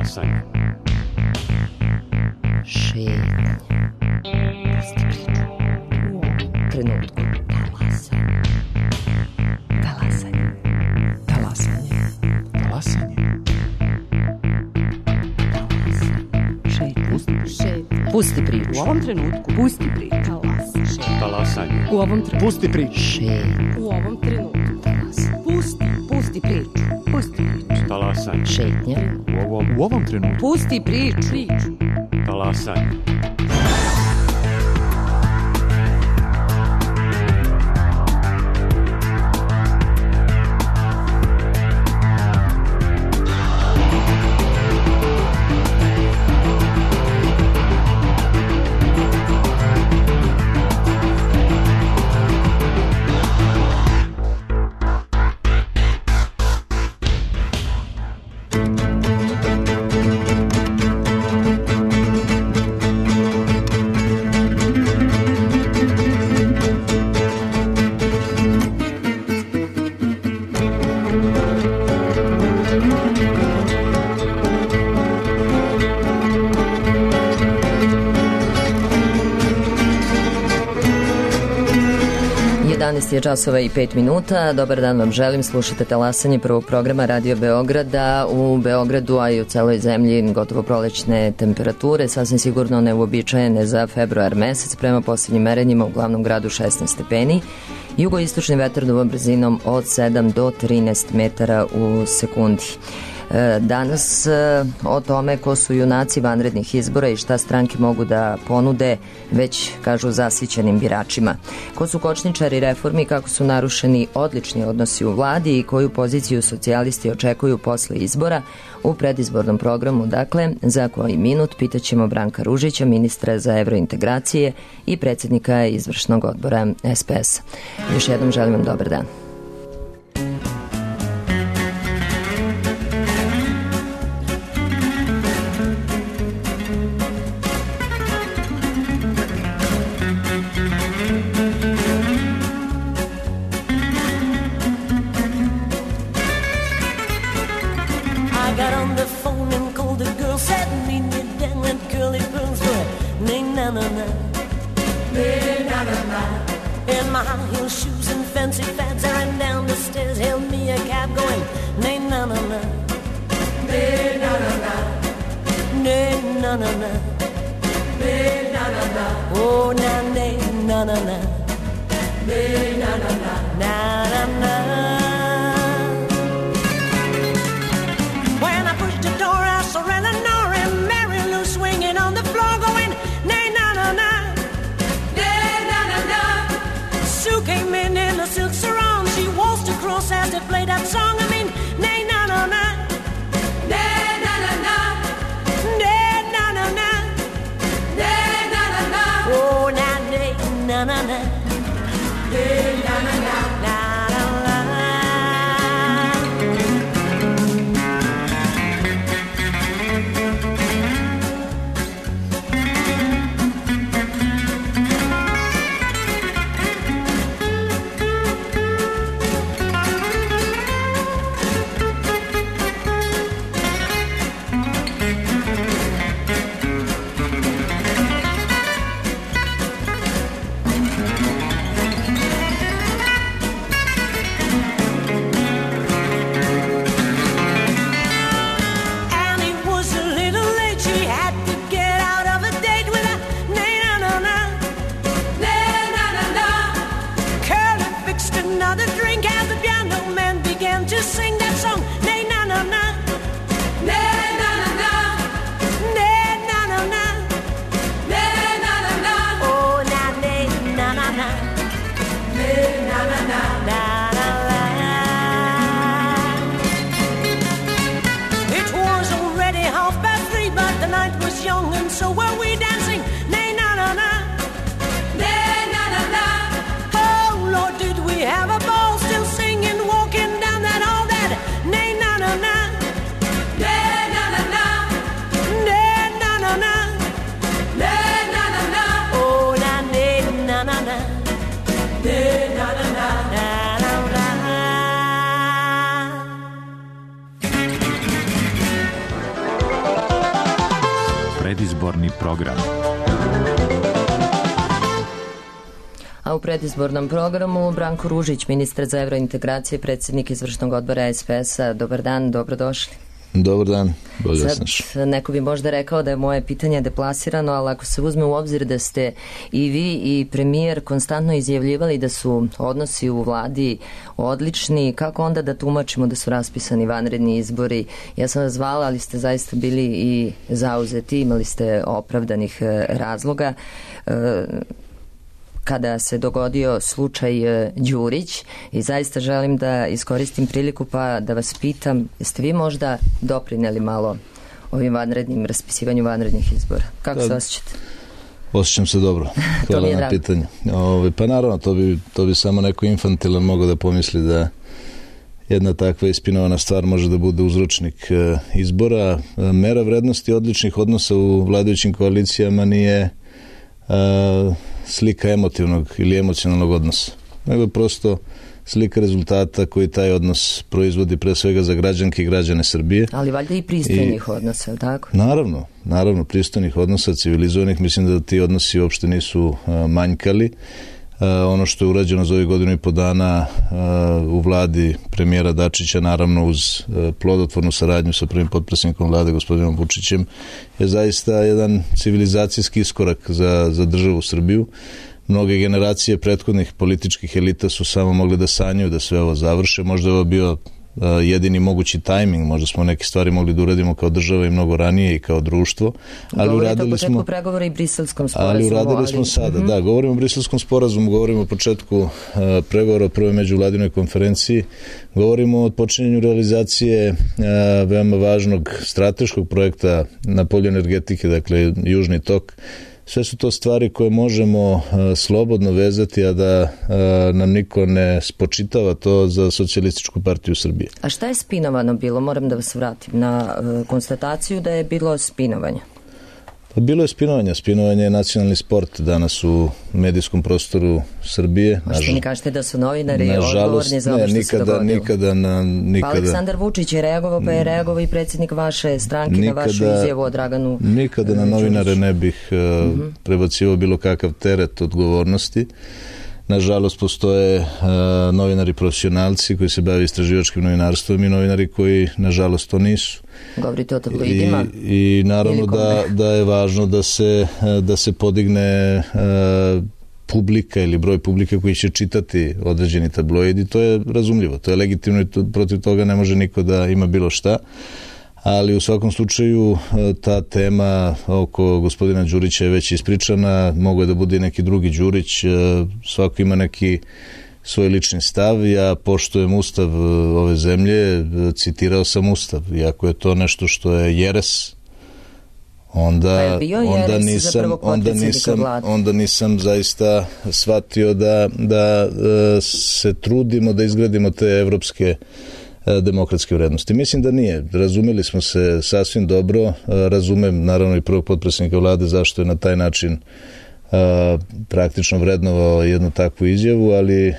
Talasanje. Šetnje. Pusti priču. U ovom trenutku. Talasanje. Talasanje. Talasanje. Talasanje. Pusti priču. U ovom trenutku. Pusti priču. Talasanje. U ovom trenutku. Pusti priču. Šetnje. U ovom trenutku. Pusti priču. Pusti priču. Talasanje. Šetnje. U ovom trenutku. Pusti priču. Talasanje. Je časova i 5 minuta. Dobar dan vam želim. Slušate Talasanje prvog programa Radio Beograda. U Beogradu, a i u celoj zemlji gotovo prolećne temperature, sasvim sigurno neuobičajene za februar mesec. Prema posljednjim merenjima u glavnom gradu 16 stepeni. Jugoistočni vetar duva brzinom od 7 do 13 metara u sekundi. Danas o tome ko su junaci vanrednih izbora i šta stranke mogu da ponude već kažu zasićenim biračima. Ko su kočničari reformi, kako su narušeni odlični odnosi u vladi i koju poziciju socijalisti očekuju posle izbora u predizbornom programu. Dakle, za koji minut pitaćemo Branka Ružića, ministra za evrointegracije i predsjednika izvršnog odbora SPS. Još jednom želim vam dobar dan. predizborni program. A u predizbornom programu Branko Ružić, ministar za evrointegracije, predsjednik izvršnog odbora SPS-a. Dobar dan, dobrodošli. Dobar dan, bolje Sad, neko bi možda rekao da je moje pitanje deplasirano, ali ako se uzme u obzir da ste i vi i premijer konstantno izjavljivali da su odnosi u vladi odlični, kako onda da tumačimo da su raspisani vanredni izbori? Ja sam vas zvala, ali ste zaista bili i zauzeti, imali ste opravdanih razloga. Kada se dogodio slučaj Đurić, i zaista želim da iskoristim priliku pa da vas pitam, jeste vi možda doprineli malo ovim raspisivanju vanrednih izbora? Kako se osjećate? Osjećam se dobro. Hvala na pitanju. Pa naravno, to bi samo neko infantilan mogao da pomisli da jedna takva ispinovana stvar može da bude uzročnik izbora. Mera vrednosti odličnih odnosa u vladajućim koalicijama nije slika emotivnog ili emocionalnog odnosa, nego je prosto slika rezultata koji taj odnos proizvodi pre svega za građanke i građane Srbije. Ali valjda i pristojnih odnosa, je tako? Naravno, pristojnih odnosa, civilizovanih. Mislim da ti odnosi uopšte nisu manjkali. Ono što je urađeno za ovih godinu i po dana u vladi premijera Dačića, naravno uz plodotvornu saradnju sa prvim potpredsjednikom vlade gospodinom Vučićem, je zaista jedan civilizacijski iskorak za državu Srbiju. Mnoge generacije prethodnih političkih elita su samo mogli da sanjaju da sve ovo završe. Možda je ovo bio jedini mogući tajming, možda smo neke stvari mogli da uradimo kao država i mnogo ranije i kao društvo, ali uradili smo pregovore i Briselskom sporazumu. Ali uradili smo sada, da, govorimo o Briselskom sporazumu, govorimo o početku pregovora o prvoj međuvladinoj konferenciji, govorimo o počinjenju realizacije veoma važnog strateškog projekta na polju energetike, dakle Južni tok. Sve su to stvari koje možemo slobodno vezati, a da nam niko ne spočitava to za Socijalističku partiju Srbije. A šta je spinovano bilo? Moram da vas vratim na konstataciju da je bilo spinovanja. Pa bilo je spinovanja. Spinovanje je nacionalni sport danas u medijskom prostoru Srbije. Možete mi kažete da su novinari odgovorni za ovo što se dogodilo? Nikada. Pa Aleksandar Vučić je reagovao, pa je reagovao i predsjednik vaše stranke na vašu izjavu o Draganu. Nikada na novinare ne bih prebacivao bilo kakav teret odgovornosti. Nažalost, postoje novinari profesionalci koji se bave istraživačkim novinarstvom i novinari koji, nažalost, to nisu. Govorite o tabloidima? I naravno da je važno da se podigne publika ili broj publike koji će čitati određeni tabloidi. To je razumljivo, to je legitimno i protiv toga ne može niko da ima bilo šta. Ali u svakom slučaju ta tema oko gospodina Đurića je već ispričana, mogo je da bude i neki drugi Đurić, svako ima neki svoj lični stav. Ja poštujem ustav ove zemlje, citirao sam ustav, i ako je to nešto što je jeres, onda nisam zaista shvatio da se trudimo da izgradimo te evropske demokratske vrednosti. Mislim da nije. Razumeli smo se sasvim dobro. Razumem naravno i prvog potpredsjednika vlade zašto je na taj način praktično vrednovao jednu takvu izjavu, ali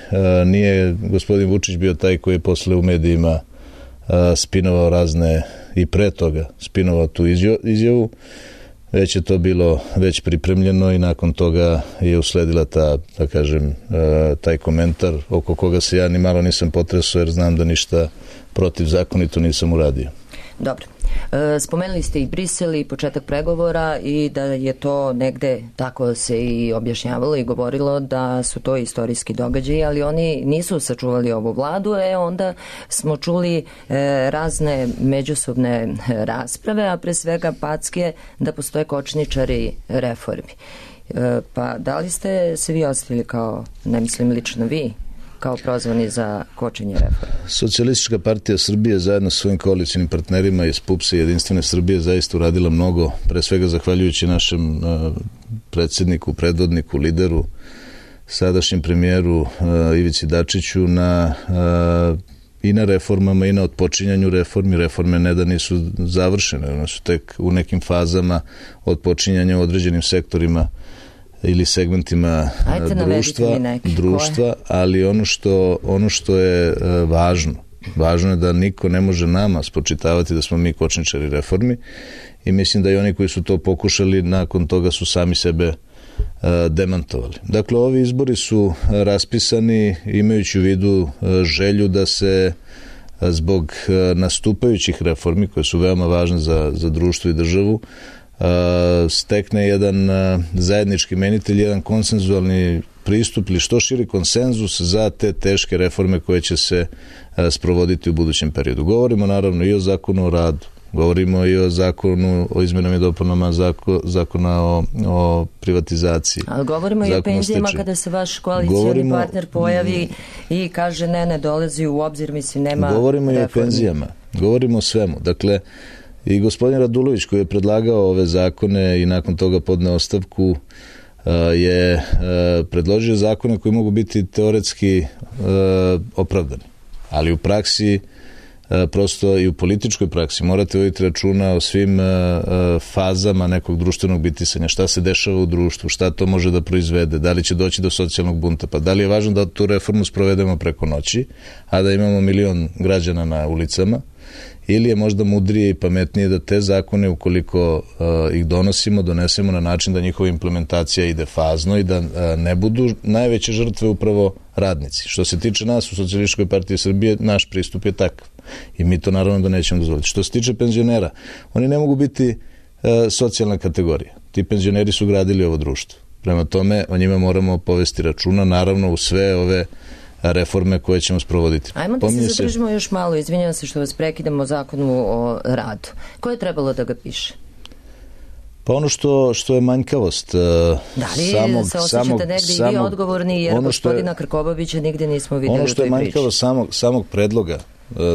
nije gospodin Vučić bio taj koji je posle u medijima spinovao razne i pre toga spinovao tu izjavu. Već je to bilo već pripremljeno i nakon toga je usledila taj komentar oko koga se ja ni malo nisam potresao jer znam da ništa protivzakonito nisam uradio. Dobro. Spomenuli ste i Brisel i početak pregovora i da je to negde, tako se i objašnjavalo i govorilo, da su to istorijski događaji, ali oni nisu sačuvali ovu vladu, onda smo čuli razne međusobne rasprave, a pre svega packe da postoje kočničari reformi. Pa da li ste se vi ostavili kao, ne mislim lično vi, kao prozvani za kočenje reforme? Socijalistička partija Srbije zajedno sa svojim koalicijnim partnerima iz PUPS-a i Jedinstvene Srbije zaista uradila mnogo, pre svega zahvaljujući našem predsjedniku, predvodniku, lideru, sadašnjem premijeru Ivici Dačiću i na reformama i na otpočinjanju reformi. Reforme ne da nisu završene, one su tek u nekim fazama otpočinjanja u određenim sektorima ili segmentima društva, ali ono što je važno je da niko ne može nama spočitavati da smo mi kočničari reformi i mislim da i oni koji su to pokušali nakon toga su sami sebe demantovali. Dakle, ovi izbori su raspisani imajući u vidu želju da se zbog nastupajućih reformi koje su veoma važne za društvo i državu stekne jedan zajednički imenitelj, jedan konsenzualni pristup ili što širi konsenzus za te teške reforme koje će se sprovoditi u budućem periodu. Govorimo naravno i o zakonu o radu, govorimo i o zakonu o izmenama i dopunama zakona o privatizaciji. Ali govorimo i o penzijama kada se vaš koalicioni partner pojavi i kaže ne dolazi u obzir, mislim nema govorimo reformi. I o penzijama, govorimo o svemu. Dakle, i gospodin Radulović koji je predlagao ove zakone i nakon toga podneo ostavku je predložio zakone koji mogu biti teoretski opravdani, ali u praksi prosto i u političkoj praksi morate voditi računa o svim fazama nekog društvenog bitisanja, šta se dešava u društvu, šta to može da proizvede, da li će doći do socijalnog bunta, pa da li je važno da tu reformu sprovedemo preko noći, a da imamo 1 milion građana na ulicama, ili je možda mudrije i pametnije da te zakone, ukoliko ih donesemo na način da njihova implementacija ide fazno i da ne budu najveće žrtve upravo radnici. Što se tiče nas u Socijalističkoj partiji Srbije, naš pristup je takav i mi to naravno da nećemo dozvoliti. Što se tiče penzionera, oni ne mogu biti socijalna kategorija. Ti penzioneri su gradili ovo društvo. Prema tome, o njima moramo povesti računa, naravno u sve ove reforme koje ćemo sprovoditi. Ajmo da se zadržimo još malo, izvinjavam se što vas prekidamo, o zakonu o radu. Ko je trebalo da ga piše? Pa ono što je manjkavost da li se osjećate negdje i vi odgovorni, jer gospodina Krkobabića nigde nismo vidjeli u toj priči? Ono što je manjkavost samog predloga,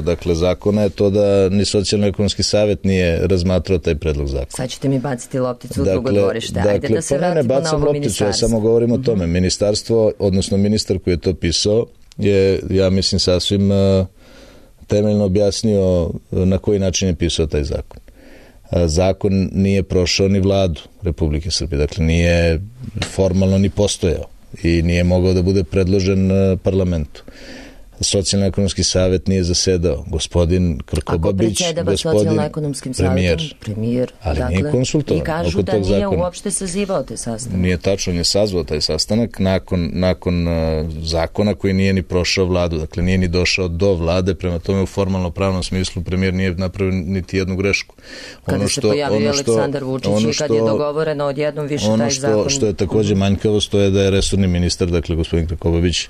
dakle, zakona je to da ni Socijalno-ekonomski savet nije razmatrao taj predlog zakona. Sad ćete mi baciti lopticu u drugo dvorište. Ajde da se vratimo na ovo ministarstvo. Ja samo govorim o tome. Ministarstvo, odnosno ministar koji je to pisao, je, ja mislim, sasvim temeljno objasnio na koji način je pisao taj zakon. Zakon nije prošao ni Vladu Republike Srbije, dakle nije formalno ni postojao i nije mogao da bude predložen parlamentu. Socijalno-ekonomski savet nije zasedao. Gospodin Krkobabić, gospodin premijer, ali dakle, nije konsultovan. I kažu da nije uopšte sazivao taj sastanak. Nije tačno, nije sazvao taj sastanak nakon zakona koji nije ni prošao Vladu, dakle nije ni došao do Vlade, prema tome u formalno pravnom smislu premijer nije napravio niti jednu grešku. Kada se pojavio Aleksandar Vučić i kad je dogovoreno odjednom više taj zakon. Ono što je takođe manjkavost, to je da je resorni ministar, dakle gospodin Krkobabić,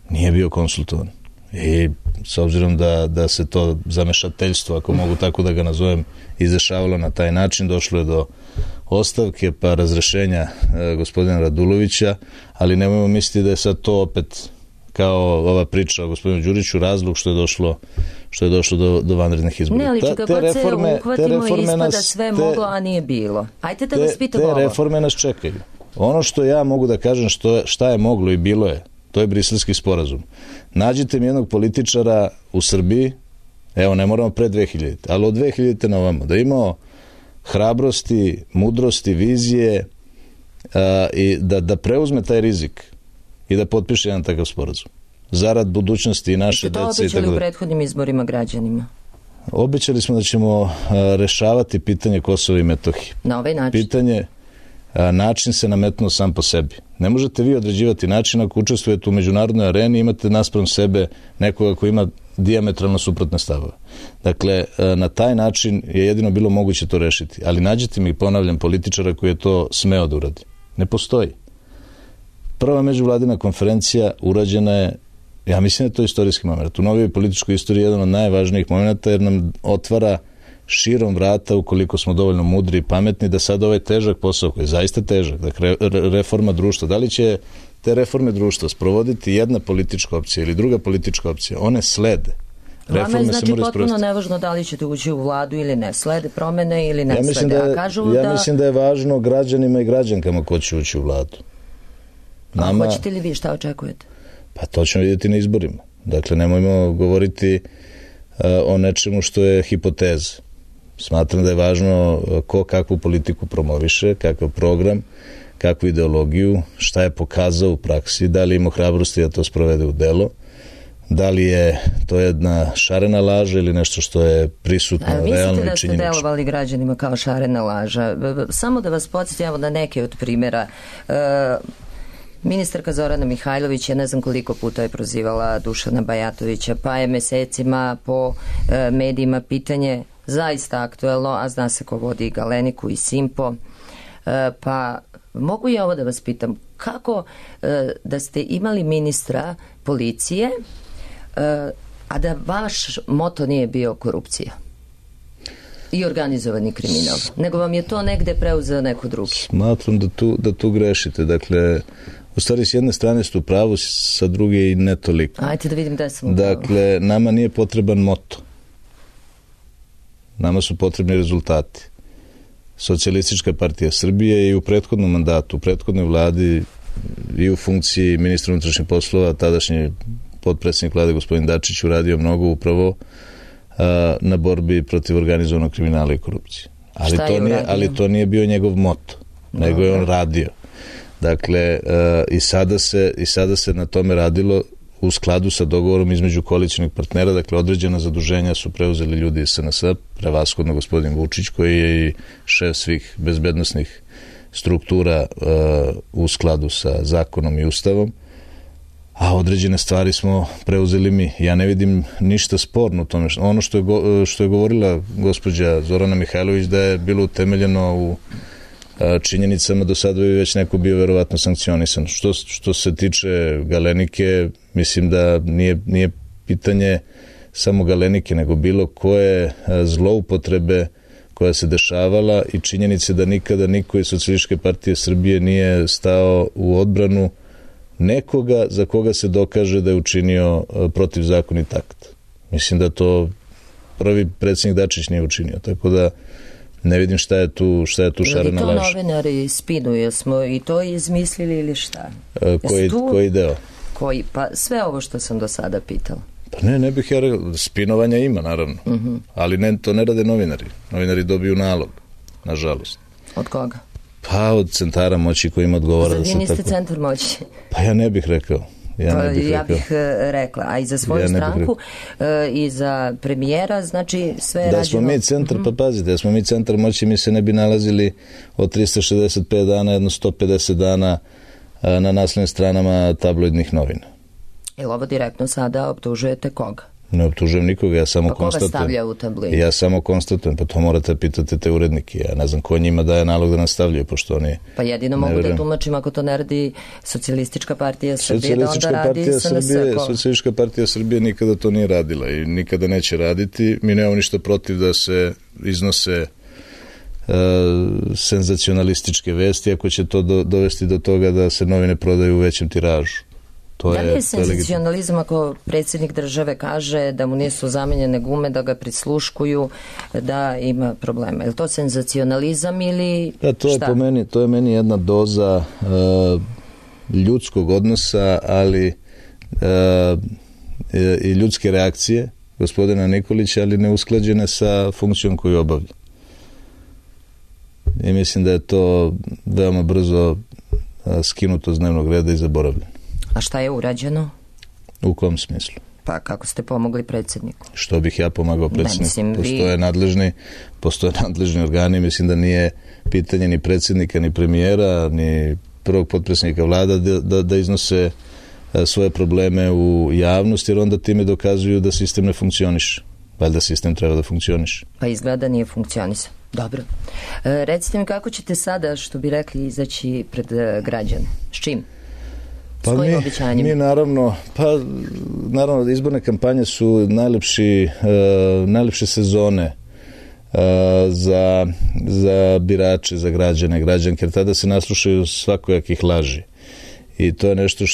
nije bio konsultovan. I s obzirom da se to zamešateljstvo, ako mogu tako da ga nazovem, izdešavalo na taj način, došlo je do ostavke pa razrešenja gospodina Radulovića, ali nemojmo misliti da je sad to opet kao ova priča o gospodinu Đuriću razlog što je došlo do vanrednih izbora. Ne, ali čega god se uhvatimo ispada sve moglo, a nije bilo. Ajde da vas pitam ovo. Te reforme nas čekaju. Ono što ja mogu da kažem šta je moglo i bilo je, to je Briselski sporazum. Nađite mi jednog političara u Srbiji, evo ne moramo pre 2000, ali od 2000 na ovamo, da imao hrabrosti, mudrosti, vizije i da preuzme taj rizik i da potpiše jedan takav sporazum. Zarad budućnosti i naše dece. Ste to obećali u prethodnim izborima građanima? Obećali smo da ćemo rešavati pitanje Kosova i Metohije. Na ovaj način? Način se nametnuo sam po sebi. Ne možete vi određivati način ako učestvujete u međunarodnoj areni i imate naspram sebe nekoga koji ima dijametralno suprotne stavove. Dakle, na taj način je jedino bilo moguće to rešiti. Ali nađite mi, ponavljam, političara koji je to smeo da uradi. Ne postoji. Prva međuvladina konferencija urađena je, ja mislim da je to istorijski moment. U novijoj političkoj istoriji je jedan od najvažnijih momenta jer nam otvara širom vrata ukoliko smo dovoljno mudri i pametni da sad ovaj težak posao koji je zaista težak, dakle reforma društva, da li će te reforme društva sprovoditi jedna politička opcija ili druga politička opcija, one slede. Vama je znači potpuno nevažno da li ćete ući u Vladu ili ne, slede promene ili ne slede. Ja mislim da je važno građanima i građankama ko će ući u Vladu. A hoćete li vi, šta očekujete? Pa to ćemo vidjeti na izborima. Dakle, nemojmo govoriti o nečemu što je hipoteza. Smatram da je važno ko kakvu politiku promoviše, kakav program, kakvu ideologiju, šta je pokazao u praksi, da li ima hrabrosti da to sprovede u delo. Da li je to jedna šarena laža ili nešto što je prisutno, realno i činjenično? Mislite da ste delovali građanima kao šarena laža? Samo da vas podsjetimo na neke od primjera. Ministarka Zorana Mihajlović, ja ne znam koliko puta je prozivala Dušana Bajatovića, pa je mesecima po medijima pitanje zaista aktuelno, a zna se ko vodi Galeniku i Simpo. Pa mogu ja ovo da vas pitam, kako da ste imali ministra policije, a da vaš moto nije bio korupcija i organizovani kriminal, nego vam je to negde preuzeo neko drugi? Smatram da tu grešite. Dakle, u stvari s jedne strane ste u pravu, sa druge i ne toliko. Ajde da vidim da sam u pravu. Dakle, nama nije potreban moto. Nama su potrebni rezultati. Socijalistička partija Srbije i u prethodnom mandatu, u prethodnoj vladi i u funkciji ministra unutrašnjih poslova, tadašnji potpredsjednik vlade gospodin Dačić uradio mnogo upravo na borbi protiv organizovanog kriminala i korupcije. Ali to nije bio njegov moto, nego je on radio. Dakle, i sada se na tome radilo u skladu sa dogovorom između koalicionih partnera. Dakle, određena zaduženja su preuzeli ljudi iz SNS, prevashodno gospodin Vučić, koji je i šef svih bezbednosnih struktura u skladu sa zakonom i ustavom, a određene stvari smo preuzeli mi. Ja ne vidim ništa sporno u tome. Ono što je govorila gospođa Zorana Mihajlović, da je bilo utemeljeno u činjenicama, do sada bi već neko bio verovatno sankcionisan. Što se tiče Galenike, mislim da nije pitanje samo Galenike, nego bilo koje zloupotrebe koja se dešavala i činjenice da nikada niko iz Socijalističke partije Srbije nije stao u odbranu nekoga za koga se dokaže da je učinio protivzakonit akt. Mislim da to prvi predsjednik Dačić nije učinio, tako da ne vidim šta je tu šarena laž. Je li to novinari spinuju? Smo i to izmislili ili šta? Koji deo? Pa sve ovo što sam do sada pitala. Pa ne bih ja rekao. Spinovanja ima, naravno. Ali to ne rade novinari. Novinari dobiju nalog, nažalost. Od koga? Pa od centara moći kojima odgovara. Vi niste centar moći? Pa ja ne bih rekao. Ja bih rekla, a i za svoju stranku i za premijera, znači sve je rađeno. Da smo mi centar, pa pazite, da smo mi centar moći, mi se ne bi nalazili od 365 dana, jedno 150 dana na naslovnim stranama tabloidnih novina. Ili ovo direktno sada optužujete koga? Ne optužujem nikoga, ja samo konstatujem. Pa koga stavlja u tabloid? Ja samo konstatujem, pa to morate pitati te urednike. Ja ne znam ko njima daje nalog da nas stavljaju, pošto oni... Pa jedino mogu da tumačim ako to ne radi Socijalistička partija Srbije, da onda radi SNS. Socijalistička partija Srbije nikada to nije radila i nikada neće raditi. Mi nemamo ništa protiv da se iznose senzacionalističke vesti, ako će to dovesti do toga da se novine prodaju u većem tiražu. Da li je senzacionalizam ako predsjednik države kaže da mu nisu zamenjene gume, da ga prisluškuju, da ima problema? Je li to senzacionalizam ili šta? To je meni jedna doza ljudskog odnosa, ali i ljudske reakcije gospodina Nikolića, ali neusklađene sa funkcijom koju obavlja. I mislim da je to veoma brzo skinuto s dnevnog reda i zaboravljeno. A šta je urađeno? U kom smislu? Pa kako ste pomogli predsjedniku? Što bih ja pomagao predsjedniku? Postoje nadležni organi, mislim da nije pitanje ni predsjednika, ni premijera, ni prvog potpredsjednika vlada da iznose svoje probleme u javnost, jer onda time dokazuju da sistem ne funkcioniše. Valjda sistem treba da funkcioniše. Pa izgleda nije funkcionisao. Dobro. Recite mi kako ćete sada, što bi rekli, izaći pred građane? S čim? Pa mi naravno, izborne kampanje su najlepše sezone za birače, za građane, građanke, jer tada se naslušaju svakojakih laži. I to je nešto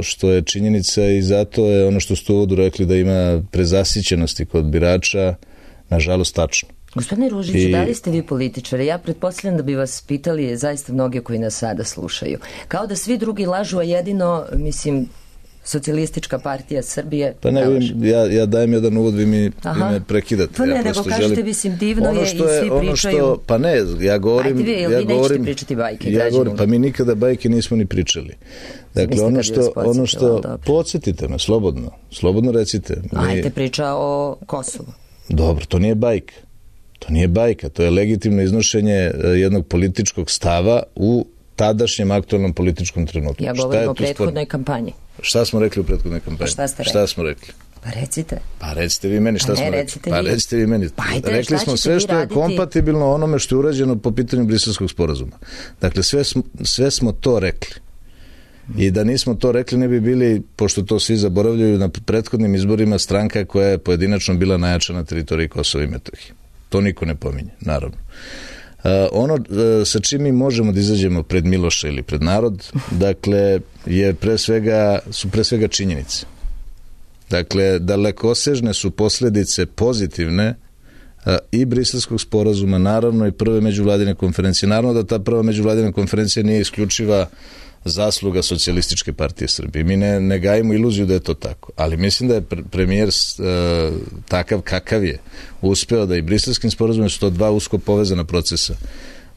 što je činjenica i zato je ono što ste u uvodu rekli da ima prezasićenosti kod birača, nažalost tačno. Gospodine Ružiću, da li ste vi političari? Ja pretpostavljam da bi vas pitali zaista mnogi koji nas sada slušaju. Kao da svi drugi lažu, a jedino, mislim, Socijalistička partija Srbije. Pa ne, ja dajem jedan uvod, vi mi prekidate. Pa ne, nego kažete, mislim, divno je i svi pričaju. Pa ne, ja govorim... Ajde vi nećete pričati bajke građanima? Pa mi nikada bajke nismo ni pričali. Dakle, ono što podsjetite me, slobodno recite. Ajde, priča o Kosovu. Dobro, to nije bajka. To nije bajka, to je legitimno iznošenje jednog političkog stava u tadašnjem aktualnom političkom trenutku. Ja govorim o prethodnoj kampanji. Šta smo rekli u prethodnoj kampanji? Šta smo rekli? Pa recite. Pa recite vi meni šta smo rekli. Pa recite vi meni. Rekli smo sve što je kompatibilno onome što je urađeno po pitanju Briselskog sporazuma. Dakle, sve smo to rekli. I da nismo to rekli, ne bi bili, pošto to svi zaboravljaju, na prethodnim izborima stranka koja je pojedinačno bila najjača na teritoriji Kosova i Metohije. To niko ne pominje, naravno. Ono sa čim mi možemo da izađemo pred Miloša ili pred narod, dakle, su pre svega činjenice. Dakle, dalekosežne su posljedice pozitivne i Briselskog sporazuma, naravno i prve međuvladine konferencije. Naravno da ta prva međuvladina konferencija nije isključiva zasluga Socijalističke partije Srbije. Mi ne gajimo iluziju da je to tako, ali mislim da je premijer takav kakav je uspeo da i Briselskim sporazumom, su to dva usko povezana procesa,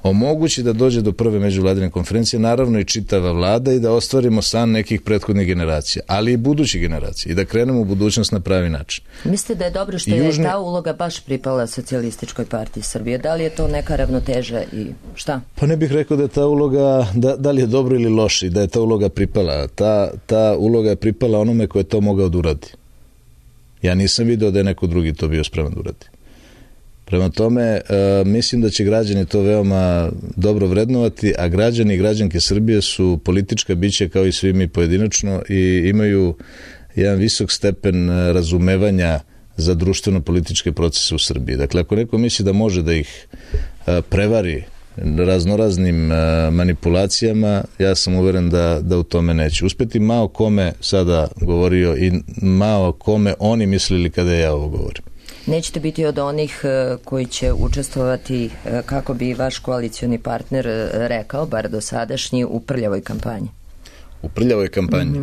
omogući da dođe do prve međuvladine konferencije, naravno i čitava vlada, i da ostvarimo san nekih prethodnih generacija, ali i budućih generacija, i da krenemo u budućnost na pravi način. Mislite da je dobro što je ta uloga baš pripala Socijalističkoj partiji Srbije? Da li je to neka ravnoteža i šta? Pa ne bih rekao da je ta uloga, da li je dobro ili loše, i da je ta uloga pripala. Ta uloga je pripala onome ko je to mogao da uradi. Ja nisam video da je neko drugi to bio spreman da uradi. Prema tome, mislim da će građani to veoma dobro vrednovati, a građani i građanke Srbije su politička bića kao i svi mi pojedinačno i imaju jedan visok stepen razumevanja za društveno-političke procese u Srbiji. Dakle, ako neko misli da može da ih prevari raznoraznim manipulacijama, ja sam uveren da u tome neće uspeti. Malo kome sada govorio i malo kome oni mislili kada ja ovo govorim. Nećete biti od onih koji će učestvovati, kako bi vaš koalicioni partner rekao, bar dosadašnji, u prljavoj kampanji? U prljavoj kampanji?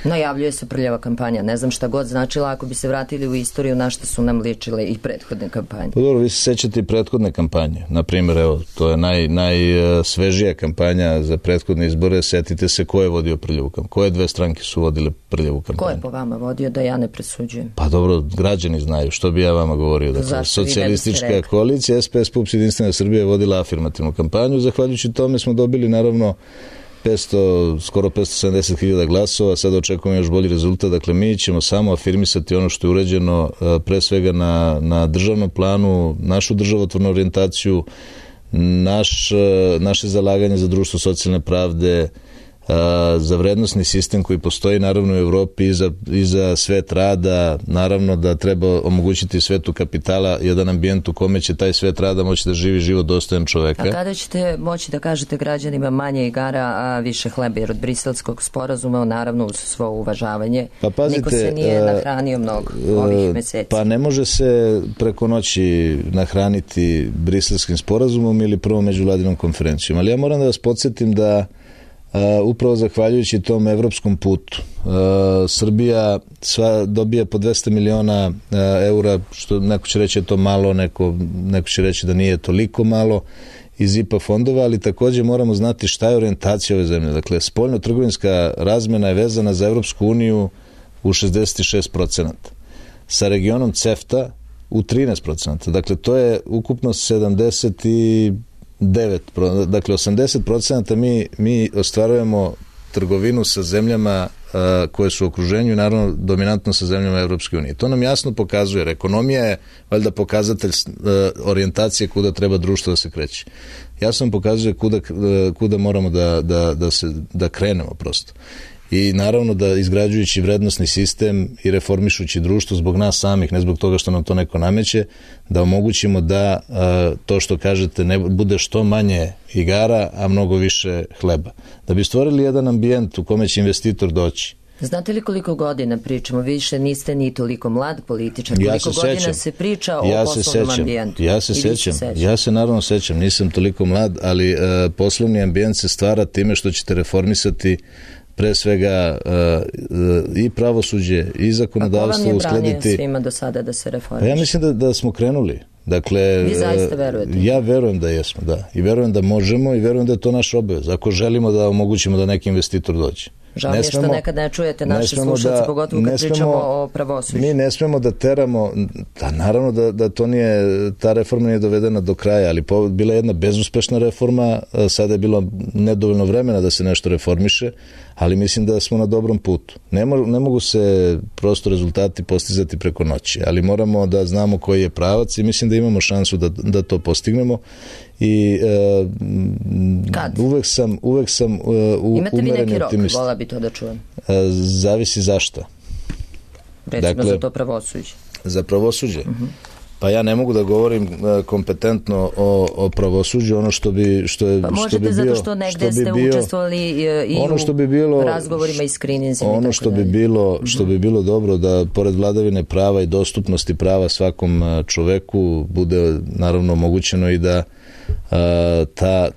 Najavljuje se prljava kampanja. Ne znam šta god značila ako bi se vratili u istoriju na što su nam ličile i prethodne kampanje. Pa dobro, vi se sećate i prethodne kampanje. Naprimjer, evo, to je najsvežija kampanja za prethodne izbore. Setite se ko je vodio prljavu kampanju. Koje dve stranke su vodile prljavu kampanju? Ko je po vama vodio, da ja ne presuđujem? Pa dobro, građani znaju. Što bi ja vama govorio? Dakle, Socijalistička koalicija, SPS, PUPS, Jedinstvena Srbija je vodila afirmativnu kampanju. Zahvaljujući tome smo dobili, naravno, skoro 570.000 glasova, sada očekujemo još bolji rezultat. Dakle, mi ćemo samo afirmisati ono što je urađeno pre svega na državnom planu, našu državotvornu orijentaciju, naše zalaganje za društvo socijalne pravde, za vrednosni sistem koji postoji naravno u Evropi i za svet rada, naravno da treba omogućiti svetu kapitala jedan ambijent u kome će taj svet rada moći da živi život dostojan čoveka. A kada ćete moći da kažete građanima manje igara, a više hleba, jer od Briselskog sporazuma, naravno uz svo uvažavanje, pa pazite, niko se nije nahranio mnogo ovih meseci? Pa ne može se preko noći nahraniti Briselskim sporazumom ili prvom međuvladinom konferencijom, ali ja moram da vas podsjetim da upravo zahvaljujući tom evropskom putu Srbija dobija po 200 miliona eura, što neko će reći je to malo, neko će reći da nije toliko malo iz IPA fondova, ali također moramo znati šta je orijentacija ove zemlje. Dakle, spoljno-trgovinska razmena je vezana za Evropsku uniju u 66%, sa regionom CEFTA u 13%. Dakle, to je ukupno 79%. Dakle, 80% mi ostvarujemo trgovinu sa zemljama koje su u okruženju i naravno dominantno sa zemljama Evropske unije. To nam jasno pokazuje, jer ekonomija je valjda pokazatelj orijentacije kuda treba društvo da se kreće. Jasno pokazuje kuda moramo da krenemo prosto. I naravno da izgrađujući vrednosni sistem i reformišući društvo zbog nas samih, ne zbog toga što nam to neko nameće, da omogućimo da to što kažete ne bude što manje igara, a mnogo više hleba. Da bi stvorili jedan ambijent u kome će investitor doći. Znate li koliko godina pričamo? Više niste ni toliko mlad političar. Koliko godina se priča o poslovnom ambijentu? Ja se naravno sećam. Nisam toliko mlad, ali poslovni ambijent se stvara time što ćete reformisati pre svega i pravosuđe i zakonodavstvo uskladiti. A ko vam je branio svima do sada da se reformiše? Pa ja mislim da smo krenuli. Dakle, vi zaista verujete? Ja verujem da jesmo, da. I verujem da možemo i verujem da je to naš obavez. Ako želimo da omogućimo da neki investitor dođe. Žao mi je što nekad ne čujete naše slušalce, pogotovo kad pričamo o pravosuđu. Mi ne smemo da teramo, da naravno da to nije, ta reforma nije dovedena do kraja, ali bila je jedna bezuspešna reforma, sada je bilo nedovoljno vremena da se nešto reformiše, ali mislim da smo na dobrom putu. Ne mogu se prosto rezultati postizati preko noći, ali moramo da znamo koji je pravac i mislim da imamo šansu da to postignemo. I uvek sam imate vi neki rok, optimist. vola bi to da čujem. Zavisi zašto. Recimo za to pravosuđe. Za pravosuđe? Pa ja ne mogu da govorim kompetentno o pravosuđu, ono što bi pa možete zato što negde ste učestvovali i u razgovorima i skrininzima. Ono što bi bilo dobro da pored vladavine prava i dostupnosti prava svakom čoveku bude naravno omogućeno i da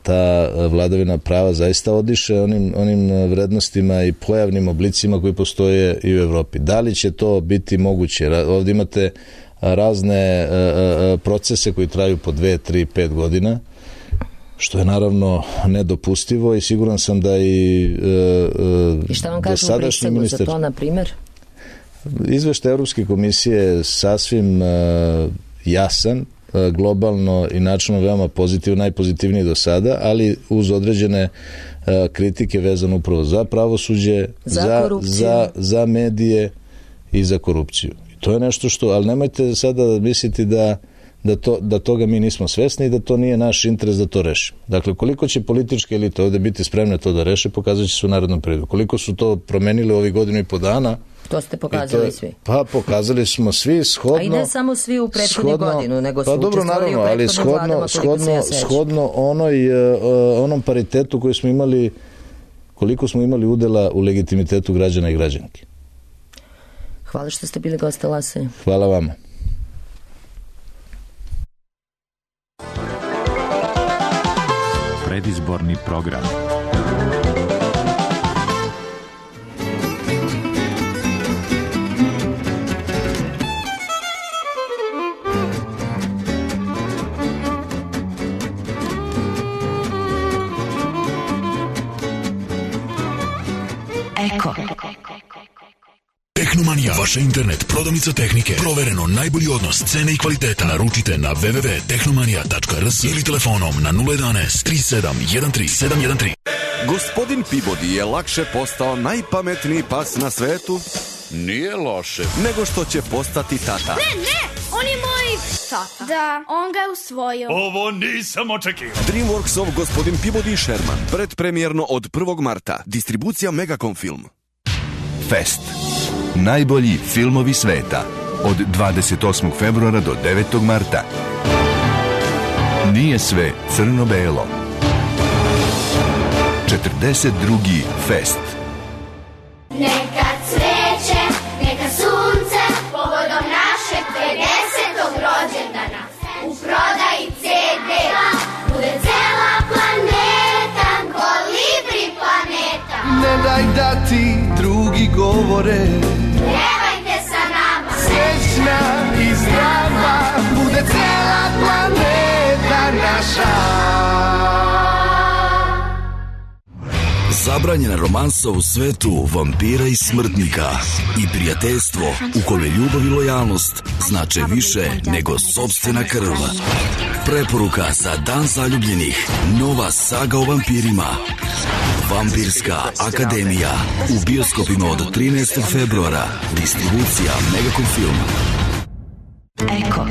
ta vladavina prava zaista odiše onim vrednostima i pojavnim oblicima koji postoje i u Evropi. Da li će to biti moguće? Ovdje imate razne procese koji traju po 2, 3, 5 godina, što je naravno nedopustivo i siguran sam da i šta vam kažu u Briselu za to, na primjer? Izveštaj Evropske komisije je sasvim jasan, globalno i načinno veoma pozitivno, najpozitivniji do sada, ali uz određene kritike vezano upravo za pravosuđe, za medije i za korupciju. To je nešto što, ali nemojte sada misliti da toga mi nismo svesni i da to nije naš interes da to rešimo. Dakle, koliko će političke elite ovde biti spremne to da reše, pokazat će se u narednom periodu. Koliko su to promenili ovih godinu i po dana, to ste pokazali svi. Pa pokazali smo svi shodno. A i ne samo svi u prethodnih godinu, nego su učestvovali u prethodnim vladama, koliko se ja sećam. Shodno onom paritetu koji smo imali, koliko smo imali udela u legitimitetu građana i građanki. Hvala što ste bili goste Lasanja. Hvala vama. Predizborni program. Eko. Tehnomanija, vaša internet prodavnica tehnike. Provereno najbolji odnos cene i kvaliteta. Naručite na www.tehnomanija.rs ili telefonom na 011 3713 713. Gospodin Peabody je lakše postao najpametniji pas na svetu. Nije loše. Nego što će postati tata. Ne, on je moj tata. Da, on ga je usvojio. Ovo nisam očekivao. DreamWorksov Gospodin Peabody Sherman. Predpremjerno od 1. marta. Distribucija Megacom Film. Fest. Najbolji filmovi sveta. Od 28. februara do 9. marta. Nije sve crno-belo. 42. Fest. Neka cveće, neka sunce, povodom našeg 50. rođendana. U prodaji CD bude cela planeta, kolibri planeta. Ne daj da ti drugi govore, pjevajte sa nama. Srećna i zdrava bude cela planeta naša. Zabranjena romansa u svetu vampira i smrtnika i prijateljstvo u kome ljubav i lojalnost znače više nego sopstvena krv. Preporuka za Dan zaljubljenih. Nova saga o vampirima. Vampirska akademija. U bioskopima od 13. februara. Distribucija Megacom Film. Eko.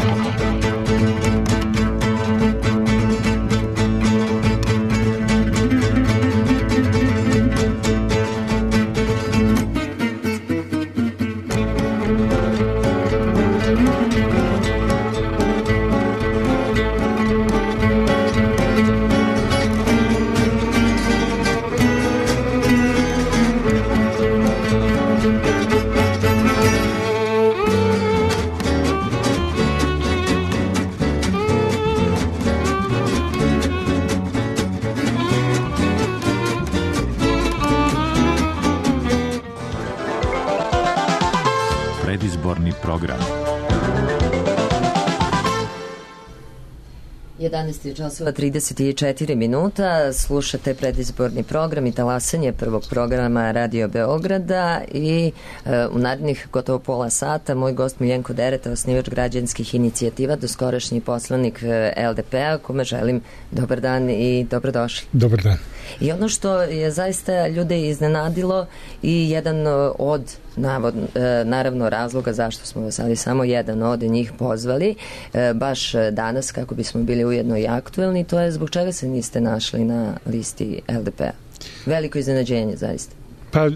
11 časova 34 minuta, slušate predizborni program i talasanje prvog programa Radio Beograda i u narednih gotovo pola sata moj gost Miljenko Dereta, osnivač građanskih inicijativa, doskorašnji poslanik LDP-a, kome želim dobar dan i dobrodošli. Dobar dan. I ono što je zaista ljude iznenadilo i jedan od naravno razloga zašto smo vas ali samo jedan od njih pozvali baš danas kako bismo bili ujedno i aktuelni, to je zbog čega se niste našli na listi LDP-a. Veliko iznenađenje zaista. Pa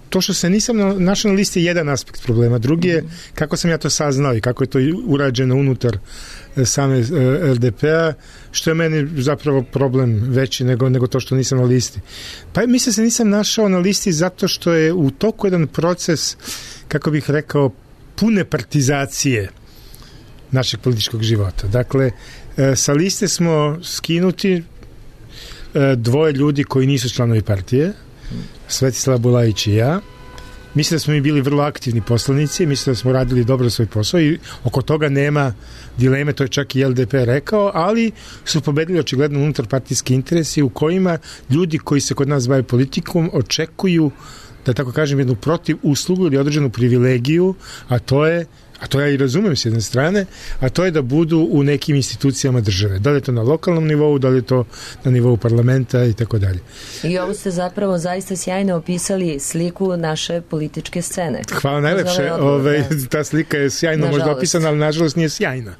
to što se nisam našao na listi je jedan aspekt problema. Drugi je kako sam ja to saznao i kako je to urađeno unutar same LDP-a, što je meni zapravo problem veći nego to što nisam na listi. Pa mislim se nisam našao na listi zato što je u toku jedan proces, kako bih rekao, pune partizacije našeg političkog života. Dakle, sa liste smo skinuti dvoje ljudi koji nisu članovi partije, Svetislav Bulajić i ja. Mislim da smo mi bili vrlo aktivni poslanici, mislim da smo radili dobro svoj posao i oko toga nema dileme, to je čak i LDP rekao, ali su pobedili očigledno unutar partijski interesi u kojima ljudi koji se kod nas bave politikom očekuju, da tako kažem, jednu protiv uslugu ili određenu privilegiju, a to ja i razumem s jedne strane, a to je da budu u nekim institucijama države. Da li je to na lokalnom nivou, da li je to na nivou parlamenta i tako dalje. I ovo ste zapravo zaista sjajno opisali sliku naše političke scene. Hvala najlepše. Ta slika je sjajno možda opisana, ali nažalost nije sjajna.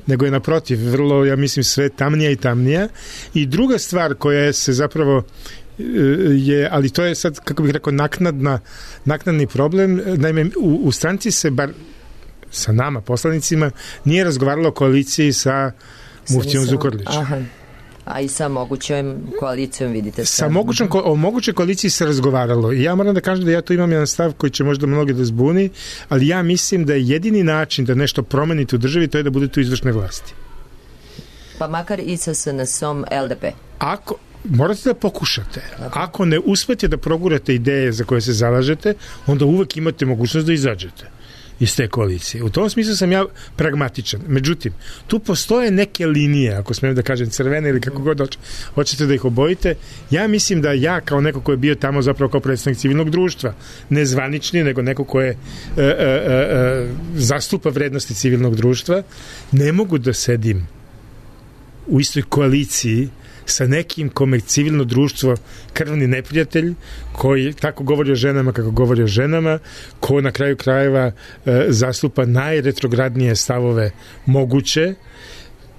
Nego je naprotiv, vrlo, ja mislim, sve tamnija i tamnija. I druga stvar koja se zapravo ali to je sad, kako bih rekao, naknadni problem. Naime, u stranci se bar sa nama, poslanicima, nije razgovaralo o koaliciji sa muftijom Zukorlićem. Aha. A i sa mogućom koalicijom, vidite. O mogućoj koaliciji se razgovaralo. I ja moram da kažem da ja tu imam jedan stav koji će možda mnogi da zbuni, ali ja mislim da je jedini način da nešto promenite u državi, to je da budete u izvršnoj vlasti. Pa makar i sa SNS-om LDP. Morate da pokušate. Ako ne uspete da progurate ideje za koje se zalažete, onda uvek imate mogućnost da izađete iz te koalicije. U tom smislu sam ja pragmatičan. Međutim, tu postoje neke linije, ako smijem da kažem crvene ili kako god hoćete da ih obojite. Ja mislim da ja kao neko ko je bio tamo zapravo kao predstavnik civilnog društva, ne zvanični, nego neko ko je zastupa vrednosti civilnog društva, ne mogu da sedim u istoj koaliciji sa nekim kome civilno društvo krvni neprijatelj, koji tako govori o ženama kako govori o ženama, ko na kraju krajeva zastupa najretrogradnije stavove moguće.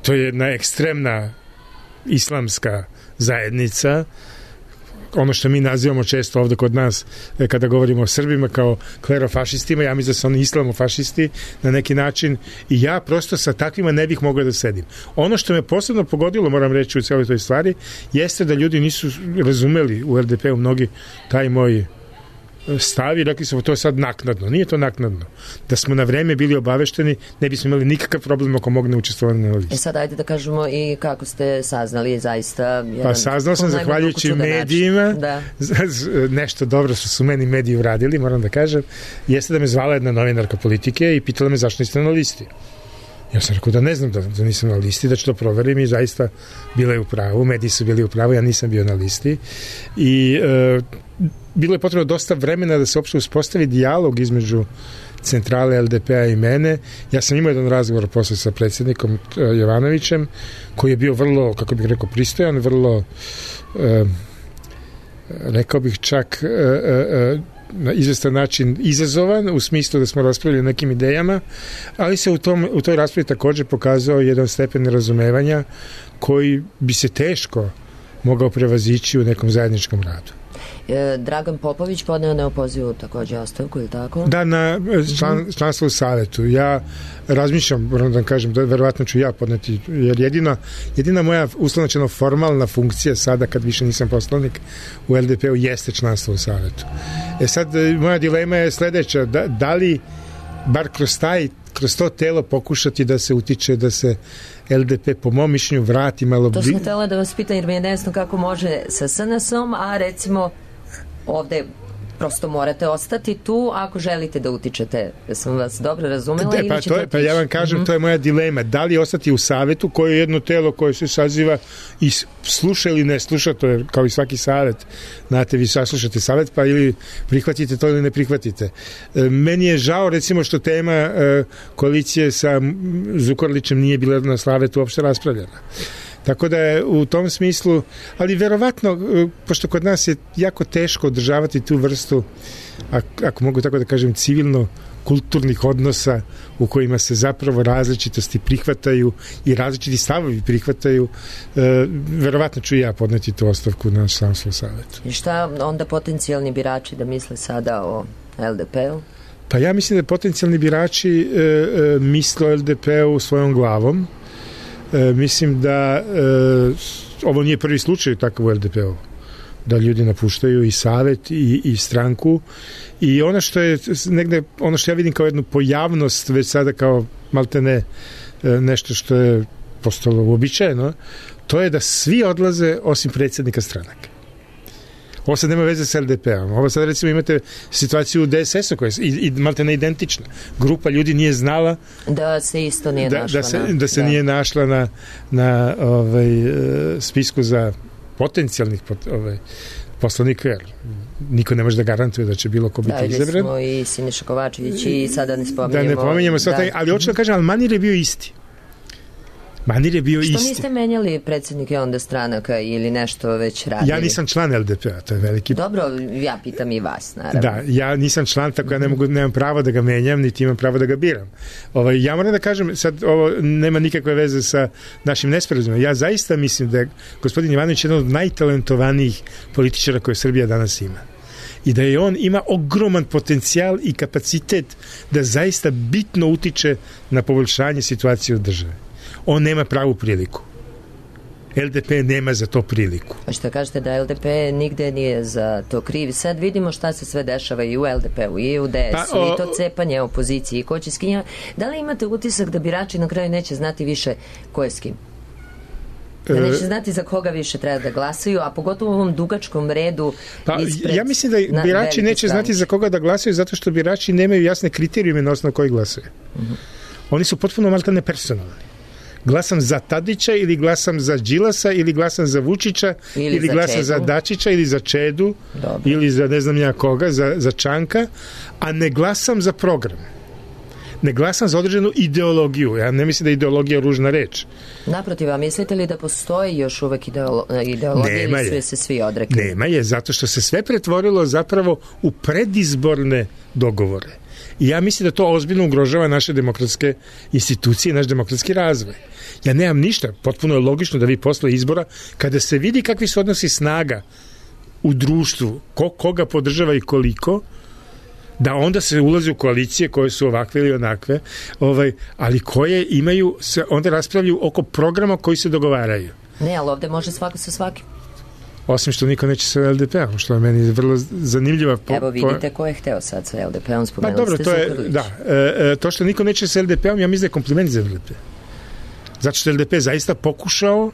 To je jedna ekstremna islamska zajednica, ono što mi nazivamo često ovde kod nas kada govorimo o Srbima kao klerofašistima, ja mislim da su oni islamofašisti na neki način i ja prosto sa takvima ne bih mogao da sedim. Ono što me posebno pogodilo, moram reći u cijeloj toj stvari, jeste da ljudi nisu razumeli u LDP-u mnogi taj moj stav i rekli smo to je sad naknadno. Nije to naknadno. Da smo na vreme bili obavešteni, ne bismo imali nikakav problem ako mogne učestvovati na listi. Sad ajde da kažemo i kako ste saznali zaista. Pa saznao sam zahvaljujući medijima. Da. Nešto dobro su meni mediji uradili, moram da kažem. Jeste da me zvala jedna novinarka politike i pitala me zašto niste na listi. Ja sam rekao da ne znam da nisam na listi, da ću to proverim i zaista bila je u pravu, mediji su bili u pravu, ja nisam bio na listi i bilo je potrebno dosta vremena da se uopšte uspostavi dijalog između centrale LDP-a i mene. Ja sam imao jedan razgovor posle sa predsjednikom Jovanovićem, koji je bio vrlo, kako bih rekao, pristojan, vrlo rekao bih čak na izvestan način izazovan, u smislu da smo raspravili o nekim idejama, ali se u toj raspravi također pokazao jedan stepen razumevanja koji bi se teško mogao prevazići u nekom zajedničkom radu. Dragan Popović podneo neopozivu također ostavku, ili tako? Da, na članstvo u savetu. Ja razmišljam, moram da kažem, da verovatno ću ja podneti, jer jedina moja uslovno formalna funkcija sada, kad više nisam poslanik u LDP-u, jeste članstvo u savetu. Sad, moja dilema je sledeća, da li bar kroz to telo pokušati da se utiče, da se LDP po mom mišljenju vrati malo... To sam htjela da vas pitam jer mi je nesno kako može sa SNS-om, a recimo ovde prosto morate ostati tu ako želite da utičete. Sam vas dobro razumela ili ćete otići? Pa ja vam kažem, to je moja dilema. Da li ostati u savetu, koje je jedno telo koje se saziva i sluša ili ne sluša, to je kao i svaki savet. Znate, vi saslušate savet, pa ili prihvatite to ili ne prihvatite. Meni je žao, recimo, što tema koalicije sa Zukorlićem nije bila na savetu uopšte raspravljena. Tako da je u tom smislu, ali verovatno, pošto kod nas je jako teško održavati tu vrstu, ako mogu tako da kažem, civilno-kulturnih odnosa u kojima se zapravo različitosti prihvataju i različiti stavovi prihvataju, verovatno ću ja podneti tu ostavku na samskom savetu. I šta onda potencijalni birači da misle sada o LDP-u? Pa ja mislim da potencijalni birači misle o LDP-u svojom glavom. Mislim da ovo nije prvi slučaj takav u LDP-u, da ljudi napuštaju i savet i stranku, i ono što je negde, ono što ja vidim kao jednu pojavnost već sada kao maltene nešto što je postalo uobičajeno, to je da svi odlaze osim predsjednika stranaka. Ovo sad nema veze sa LDP-om. Ovo sad recimo imate situaciju u DSS-u koja je i maltene identična. Grupa ljudi nije znala da se isto nije našla da se nije našla na spisku za potencijalnih poslanika, jer niko ne može da garantuje da će bilo ko biti izabran. Da, smo i Siniša Kovačević i sada ne spominjemo. Da ne pominjemo ali hoću da kažem, ali manir je bio isti. Manir je bio isti. Što niste menjali predsjednike onda stranaka ili nešto već radili? Ja nisam član LDP-a, to je veliki... Dobro, ja pitam i vas, naravno. Da, ja nisam član, tako ja nemam pravo da ga menjam, niti imam pravo da ga biram. Ja moram da kažem, sad ovo nema nikakve veze sa našim nesporazumom. Ja zaista mislim da je gospodin Ivanović jedan od najtalentovanijih političara koje Srbija danas ima. I da je on ima ogroman potencijal i kapacitet da zaista bitno utiče na poboljšanje situacije u državi. On nema pravu priliku. LDP nema za to priliku. A što kažete da LDP nigde nije za to kriv? Sad vidimo šta se sve dešava i u LDP-u i u DS-u i to cepanje opozicije i ko će s kim. Da li imate utisak da birači na kraju neće znati više ko je s kim? Da neće znati za koga više treba da glasaju, a pogotovo u ovom dugačkom redu ispred... Ja mislim da birači neće znati za koga da glasaju zato što birači nemaju jasne kriterijume na osnovu kojih glasaju. Oni su potpuno maltene personalni. Glasam za Tadića ili glasam za Đilasa ili glasam za Vučića ili glasam Čedu. Za Dačića ili za Čedu. Dobro. Ili za ne znam ja koga, za Čanka, a ne glasam za program. Ne glasam za određenu ideologiju. Ja ne mislim da je ideologija ružna reč. Naprotiv, a mislite li da postoji još uvek ideologija ili su je se svi odrekli? Nema je, zato što se sve pretvorilo zapravo u predizborne dogovore. I ja mislim da to ozbiljno ugrožava naše demokratske institucije i naš demokratski razvoj. Ja nemam ništa, potpuno je logično da vi posle izbora, kada se vidi kakvi su odnosi snaga u društvu, koga podržava i koliko, da onda se ulazi u koalicije koje su ovakve ili onakve, ali koje imaju, se onda raspravljaju oko programa koji se dogovaraju. Ne, ali ovde može svako sa svakim. Osim što niko neće sa LDP-om, što je meni vrlo zanimljiva... Evo vidite ko je hteo sad sa LDP-om, spomenuli ste Zukorlić. To što niko neće sa LDP-om, ja mislim da je kompliment za LDP. Zato što LDP zaista pokušao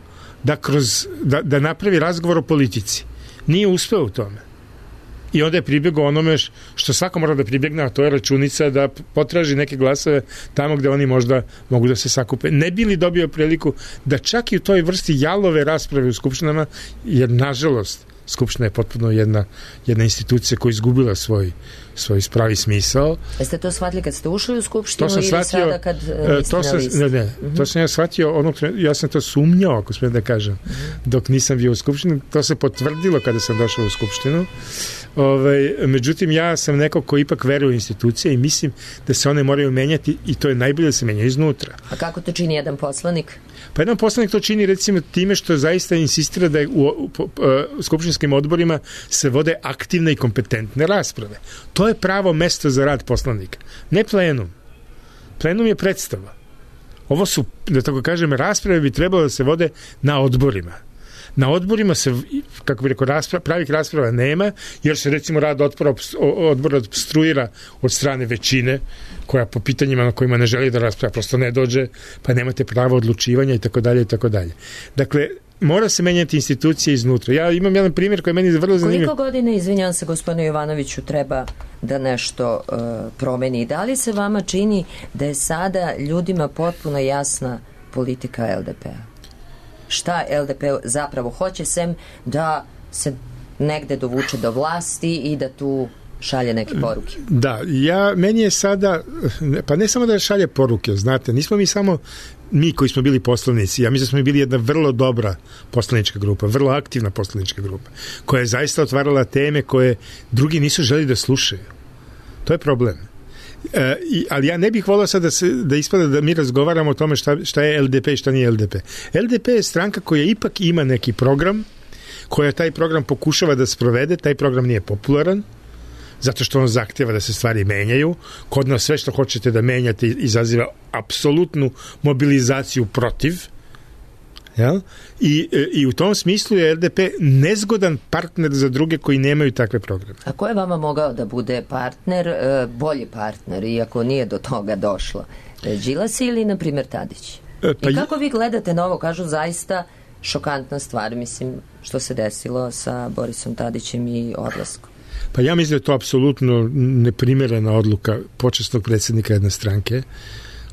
da napravi razgovor o politici. Nije uspeo u tome. I onda je pribjegao onome što svako mora da pribjegne, a to je računica da potraži neke glasove tamo gde oni možda mogu da se sakupe. Ne bi li dobio priliku da čak i u toj vrsti jalove rasprave u skupštinama, jer nažalost Skupština je potpuno jedna institucija koja je izgubila svoj pravi smisao. Jeste to shvatili kad ste ušli u Skupštinu ili sada kad niste na listi? Ne, to sam ja shvatio, ja sam to sumnjao, ako smijem da kažem, dok nisam bio u Skupštini. To se potvrdilo kada sam došao u Skupštinu. Međutim, ja sam neko ko ipak veruje u institucije i mislim da se one moraju menjati i to je najbolje da se menja iznutra. A kako to čini jedan poslanik? Pa jedan poslanik to čini recimo time što zaista insistira da u skupštinskim odborima se vode aktivne i kompetentne rasprave. To je pravo mesto za rad poslanika. Ne plenum. Plenum je predstava. Ovo su, da tako kažem, rasprave bi trebalo da se vode na odborima. Na odborima se, kako bi rekao, pravih rasprava nema, jer se recimo rad odbora obstruira od strane većine, koja po pitanjima na kojima ne želi da rasprava prosto ne dođe, pa nemate pravo odlučivanja i tako dalje i tako dalje. Dakle, mora se menjati institucije iznutra. Ja imam jedan primjer koji je meni vrlo zanimljiv. Koliko godine, izvinjavam se gospodinu Jovanoviću, treba da nešto promeni? Da li se vama čini da je sada ljudima potpuno jasna politika LDP-a? Šta LDP zapravo hoće, sem da se negde dovuče do vlasti i da tu šalje neke poruke? Da, meni je sada, pa ne samo da šalje poruke, znate, nismo mi samo mi koji smo bili poslanici, ja mislim da smo bili jedna vrlo dobra poslanička grupa, vrlo aktivna poslanička grupa, koja je zaista otvarala teme koje drugi nisu želi da slušaju. To je problem. Ali ja ne bih volao sad da ispada da mi razgovaramo o tome šta je LDP i šta nije LDP. LDP je stranka koja ipak ima neki program, koja taj program pokušava da sprovede, taj program nije popularan, zato što on zahtjeva da se stvari menjaju. Kod nas sve što hoćete da menjate izaziva apsolutnu mobilizaciju protiv. Jel? I u tom smislu je LDP nezgodan partner za druge koji nemaju takve programe. A ko je vama mogao da bude partner, bolji partner, iako nije do toga došlo? Đilas ili, na primjer, Tadić? I kako vi gledate na ovo? Kažu zaista šokantna stvar, mislim, što se desilo sa Borisom Tadićem i odlaskom. Pa ja mislim da je to apsolutno neprimerena odluka počasnog predsjednika jedne stranke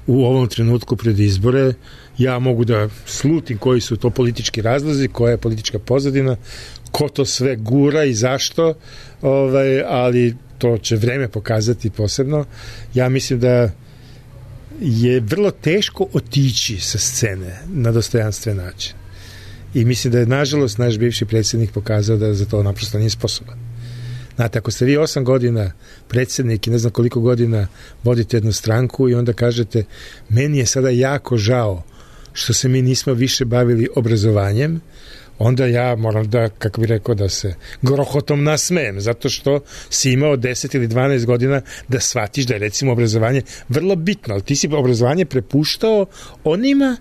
u ovom trenutku pred izbore. Ja mogu da slutim koji su to politički razlozi, koja je politička pozadina, ko to sve gura i zašto, ali to će vreme pokazati posebno. Ja mislim da je vrlo teško otići sa scene na dostojanstven način. I mislim da je, nažalost, naš bivši predsjednik pokazao da za to naprosto nije sposoban. Znate, ako ste vi 8 godina predsjednik i ne znam koliko godina vodite jednu stranku i onda kažete, meni je sada jako žao što se mi nismo više bavili obrazovanjem, onda ja moram da, kako bih rekao, da se grohotom nasmejem, zato što si imao 10 ili 12 godina da shvatiš da je, recimo, obrazovanje vrlo bitno, ali ti si obrazovanje prepuštao onima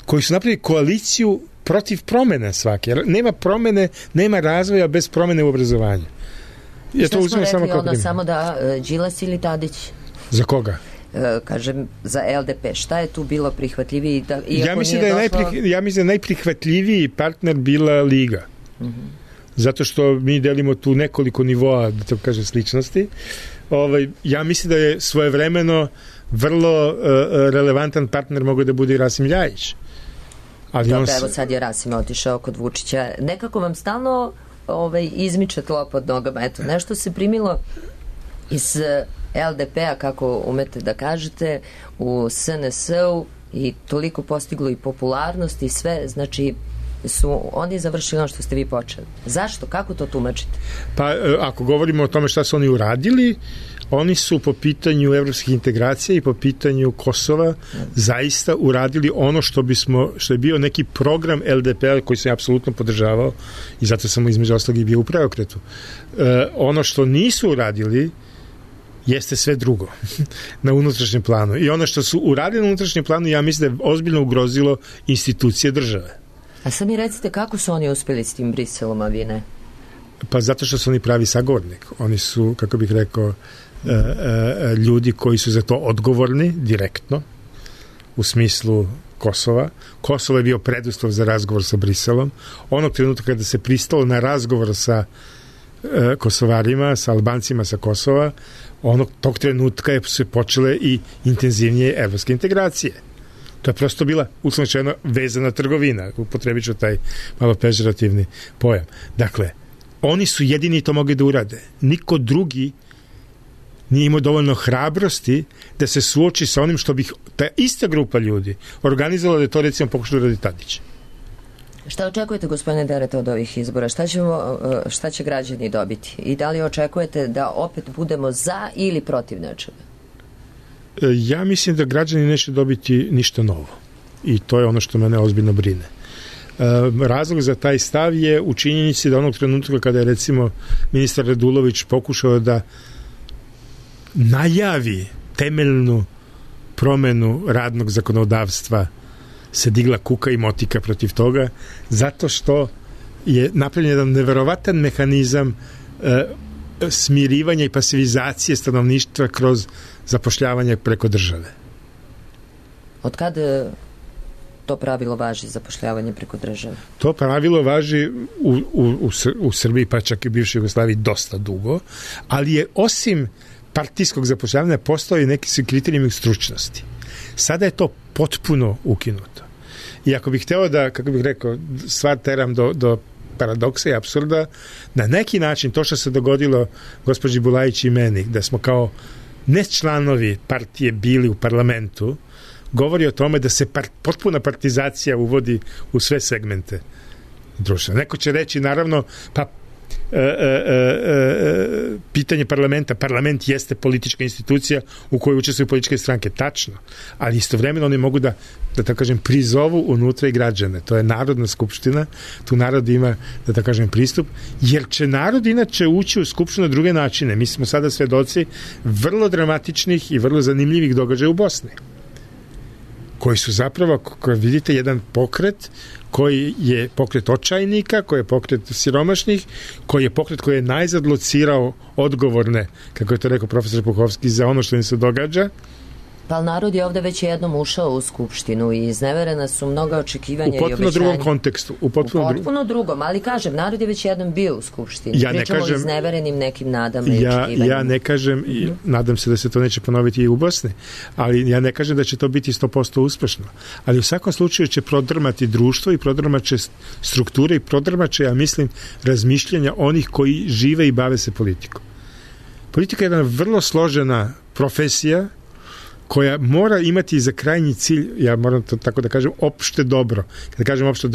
koji su napravili koaliciju protiv promjene svake. Nema promjene, nema razvoja bez promjene u obrazovanju. Ja to uzmem samo kao primjer. Samo da Đilas ili Tadić? Za koga? Kažem, za LDP. Šta je tu bilo prihvatljiviji? Ja mislim da je najprihvatljiviji partner bila Liga. Zato što mi delimo tu nekoliko nivoa, da to kažem, sličnosti. Ja mislim da je svojevremeno vrlo relevantan partner mogao da bude i Rasim Ljajić. Evo sad je Rasim otišao kod Vučića. Nekako vam stalno izmiče tlo pod nogama. Eto, nešto se primilo iz LDP-a, kako umete da kažete, u SNS-u i toliko postiglo i popularnost i sve, znači su oni završili ono što ste vi počeli. Zašto? Kako to tumačite? Pa ako govorimo o tome šta su oni uradili, oni su po pitanju evropskih integracija i po pitanju Kosova zaista uradili ono što je bio neki program LDP-a koji sam apsolutno podržavao i zato sam između ostalog i bio u preokretu. Ono što nisu uradili jeste sve drugo na unutrašnjem planu. I ono što su uradili na unutrašnjem planu, ja mislim da je ozbiljno ugrozilo institucije države. A sad mi recite kako su oni uspjeli s tim Briselom, a vi ne? Pa zato što su oni pravi sagovornik. Oni su, kako bih rekao, ljudi koji su za to odgovorni direktno u smislu Kosova. Kosovo je bio preduslov za razgovor sa Briselom. Onog trenutka kada se pristalo na razgovor sa Kosovarima, sa Albancima sa Kosova, tog trenutka su počele i intenzivnije evropske integracije. To je prosto bila, uslovno vezana trgovina. Upotrebit ću taj malo pežorativni pojam. Dakle, oni su jedini to mogli da urade. Niko drugi nije imao dovoljno hrabrosti da se suoči sa onim što bi ta ista grupa ljudi organizovala da je to, recimo, pokušalo da radi Tadić. Šta očekujete, gospodine Dereta, od ovih izbora? Šta će građani dobiti? I da li očekujete da opet budemo za ili protiv nečega? Ja mislim da građani neće dobiti ništa novo. I to je ono što mene ozbiljno brine. Razlog za taj stav je u činjenici da onog trenutka kada je, recimo, ministar Radulović pokušao da najavi temeljnu promenu radnog zakonodavstva, se digla kuka i motika protiv toga, zato što je napravljen jedan neverovatan mehanizam smirivanja i pasivizacije stanovništva kroz zapošljavanje preko države. Od kad to pravilo važi zapošljavanje preko države? To pravilo važi u Srbiji, pa čak i u bivšoj Jugoslaviji dosta dugo, ali je osim partijskog zapošljavanja postoji neki kriterijumi stručnosti. Sada je to potpuno ukinuto. I ako bih hteo da, kako bih rekao, stvar teram do paradoksa i apsurda, na neki način to što se dogodilo gospođi Bulajić i meni, da smo kao ne članovi partije bili u parlamentu, govori o tome da se potpuna partizacija uvodi u sve segmente društva. Neko će reći, naravno, pa pitanje parlamenta, parlament jeste politička institucija u kojoj učestvuju političke stranke, tačno, ali istovremeno oni mogu da tako kažem, prizovu unutra i građane. To je Narodna skupština, tu narod ima, da tako kažem, pristup, jer će narod inače ući u skupštinu na druge načine. Mi smo sada svedoci vrlo dramatičnih i vrlo zanimljivih događaja u Bosni, koji su zapravo, kako vidite, jedan pokret koji je pokret očajnika, koji je pokret siromašnih, koji je pokret koji je najzad locirao odgovorne, kako je to rekao profesor Puhovski, za ono što im se događa. Pa narod je ovde već jednom ušao u skupštinu i izneverena su mnoga očekivanja i obećanja. U potpuno drugom kontekstu. U potpuno drugom, ali kažem, narod je već jednom bio u skupštini. Pričamo o izneverenim nekim nadama i očekivanjima. Ja ne kažem, i nadam se da se to neće ponoviti i u Bosni, ali ja ne kažem da će to biti 100% uspešno. Ali u svakom slučaju će prodrmati društvo i prodrmaće strukture i prodrmaće, ja mislim, razmišljanja onih koji žive i bave se politikom. Politika je jedna vrlo složena profesija koja mora imati za krajnji cilj, ja moram to tako da kažem, opšte dobro. Kada kažem opšte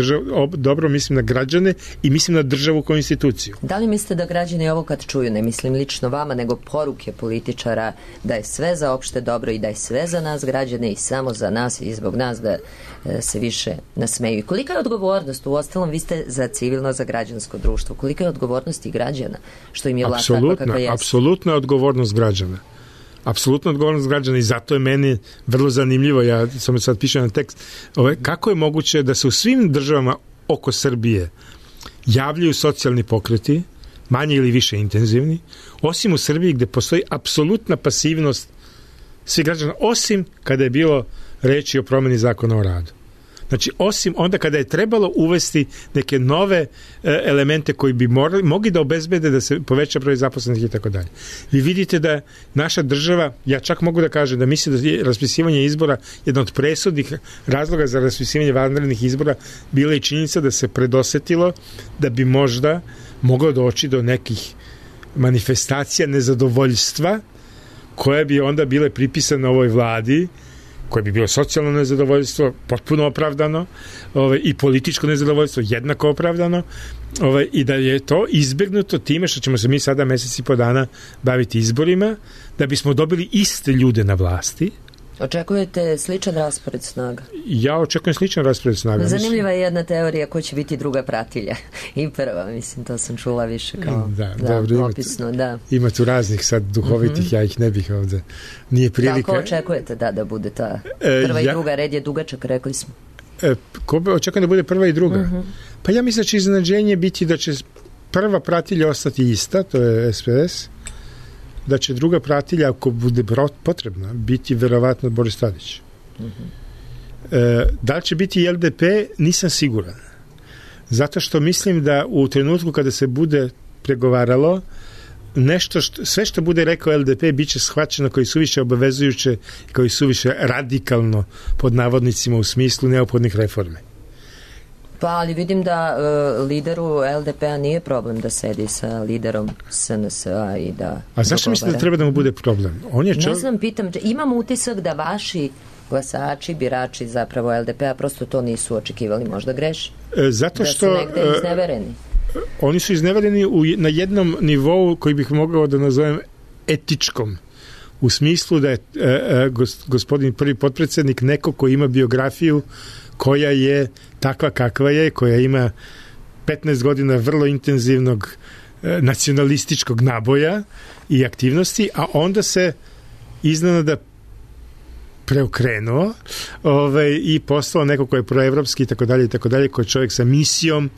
dobro, mislim na građane i mislim na državu kao instituciju. Da li mislite da građani ovo kad čuju, ne mislim lično vama, nego poruke političara da je sve za opšte dobro i da je sve za nas građane i samo za nas i zbog nas, da se više nasmeju? I kolika je odgovornost? Uostalom, vi ste za civilno, za građansko društvo. Kolika je odgovornost i građana? Što im je vlast takva kakva jeste? Apsolutna odgovornost građana. Apsolutno odgovornost građana i zato je meni vrlo zanimljivo, ja sam sad pišem na tekst, kako je moguće da se u svim državama oko Srbije javljaju socijalni pokreti, manje ili više intenzivni, osim u Srbiji gde postoji apsolutna pasivnost svih građana, osim kada je bilo reči o promeni zakona o radu. Znači, osim onda kada je trebalo uvesti neke nove elemente koji bi mogli da obezbede da se poveća broj zaposlenih i tako dalje. Vi vidite da naša država, ja čak mogu da kažem da mislim da je raspisivanje izbora jedan od presudnih razloga za raspisivanje vanrednih izbora bila i činjenica da se predosetilo da bi možda moglo doći do nekih manifestacija nezadovoljstva koje bi onda bile pripisane ovoj vladi, koje bi bilo socijalno nezadovoljstvo, potpuno opravdano, i političko nezadovoljstvo, jednako opravdano, i da je to izbegnuto time što ćemo se mi sada mesec i po dana baviti izborima, da bismo dobili iste ljude na vlasti. Očekujete sličan raspored snaga? Ja očekujem sličan raspored snaga. Zanimljiva je jedna teorija ko će biti druga pratilja i prva, mislim, to sam čula više kao opisno. Ima tu raznih sad duhovitih, ja ih ne bih ovde. Nije prilika. Kako očekujete da bude ta prva i druga? Red je dugačak, rekli smo. Očekujem da bude prva i druga. Pa ja mislim da će iznenađenje biti da će prva pratilja ostati ista, to je SPS, da će druga pratilja, ako bude potrebna, biti verovatno Boris Tadić. Da li će biti i LDP, nisam siguran. Zato što mislim da u trenutku kada se bude pregovaralo, sve što bude rekao LDP bit će shvaćeno kao i suviše obavezujuće, kao i suviše radikalno, pod navodnicima, u smislu neophodnih reforme. Pa, ali vidim da lideru LDP-a nije problem da sedi sa liderom SNS-a i da... A zašto mislite da treba da mu bude problem? Ne znam, pitam, imam utisak da vaši glasači, birači zapravo LDP-a prosto to nisu očekivali, možda greši. Zato što... Da su negde iznevereni. Oni su iznevereni na jednom nivou koji bih mogao da nazovem etičkom. U smislu da je gospodin prvi potpredsednik neko ko ima biografiju koja je takva kakva je, koja ima 15 godina vrlo intenzivnog nacionalističkog naboja i aktivnosti, a onda se iznenada preokrenuo i postao neko ko je proevropski i tako dalje, koji je čovjek sa misijom,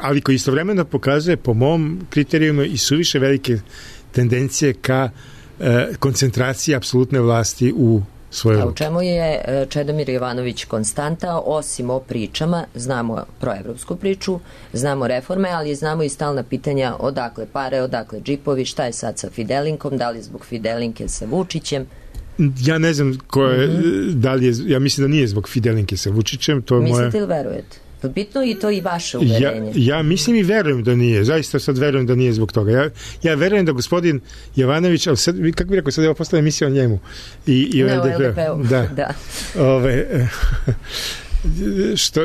ali koji istovremeno pokazuje po mom kriterijuma i suviše velike tendencije ka koncentraciji apsolutne vlasti u svoje ruke. A u čemu je Čedomir Jovanović konstanta, osim o pričama? Znamo proevropsku priču, znamo reforme, ali znamo i stalna pitanja odakle pare, odakle džipovi, šta je sad sa Fidelinkom, da li zbog Fidelinke sa Vučićem? Ja ne znam ko je, da li je, ja mislim da nije zbog Fidelinke sa Vučićem. To mislite ili verujete? Bitno i to i vaše uverenje. Ja mislim i verujem da nije. Zaista sad verujem da nije zbog toga. Ja verujem da gospodin Jovanović, ali sad, kako bih rekao, sad je postala emisija o njemu. I ne, o LDP-u. Da.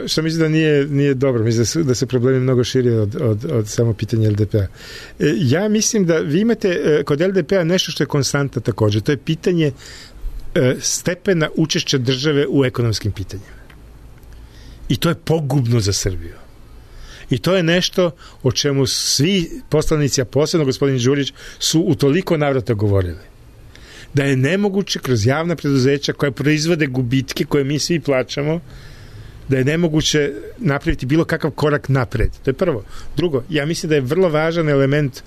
Što mislim da nije dobro. Mislim da se problemi mnogo širi od samo pitanja LDP-a. Ja mislim da vi imate kod LDP-a nešto što je konstanta također. To je pitanje stepena učešća države u ekonomskim pitanjima. I to je pogubno za Srbiju. I to je nešto o čemu svi poslanici, a posebno gospodin Đurić, su u toliko navrata govorili. Da je nemoguće kroz javna preduzeća koja proizvode gubitke koje mi svi plaćamo, da je nemoguće napraviti bilo kakav korak napred. To je prvo. Drugo, ja mislim da je vrlo važan element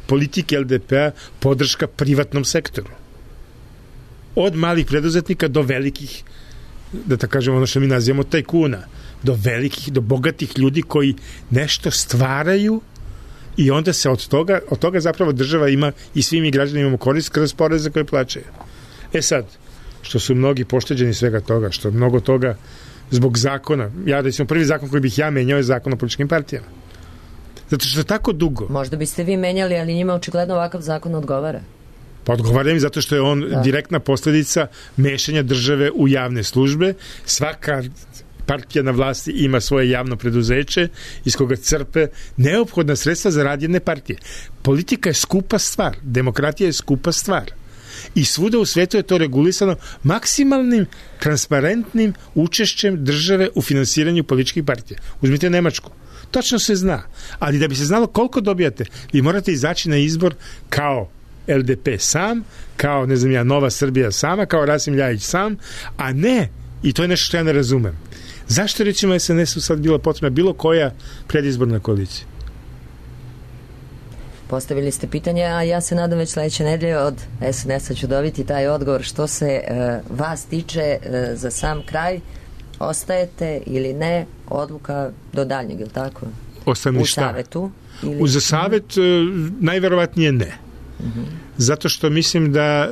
politike LDP-a podrška privatnom sektoru. Od malih preduzetnika do velikih, da tako kažemo ono što mi nazivamo tajkuna, do velikih, do bogatih ljudi koji nešto stvaraju i onda se od toga zapravo država ima i svi mi građani imamo korist kroz poreze koje plaćaju. Sad, što su mnogi pošteđeni svega toga, što mnogo toga zbog zakona, ja recimo prvi zakon koji bih ja menjao je zakon o političkim partijama. Zato što tako dugo. Možda biste vi menjali, ali njima očigledno ovakav zakon odgovara. Pa odgovaram im zato što je on direktna posljedica mešanja države u javne službe. Svaka partija na vlasti ima svoje javno preduzeće iz koga crpe neophodna sredstva za rad jedne partije. Politika je skupa stvar, demokratija je skupa stvar. I svuda u svetu je to regulisano maksimalnim, transparentnim učešćem države u finansiranju političkih partija. Uzmite Nemačku. Točno se zna. Ali da bi se znalo koliko dobijate, vi morate izaći na izbor kao LDP sam, kao, ne znam ja, Nova Srbija sama, kao Rasim Ljajić sam, a ne, i to je nešto što ja ne razumem. Zašto recimo SNS-u sad bila potrebna bilo koja predizborna koalicija? Postavili ste pitanje, a ja se nadam već sledeće nedelje od SNS-a ću dobiti taj odgovor. Što se vas tiče za sam kraj, ostajete ili ne, odluka do daljnjeg, ili tako? Ostane u savetu? Za savet najverovatnije ne. Zato što mislim da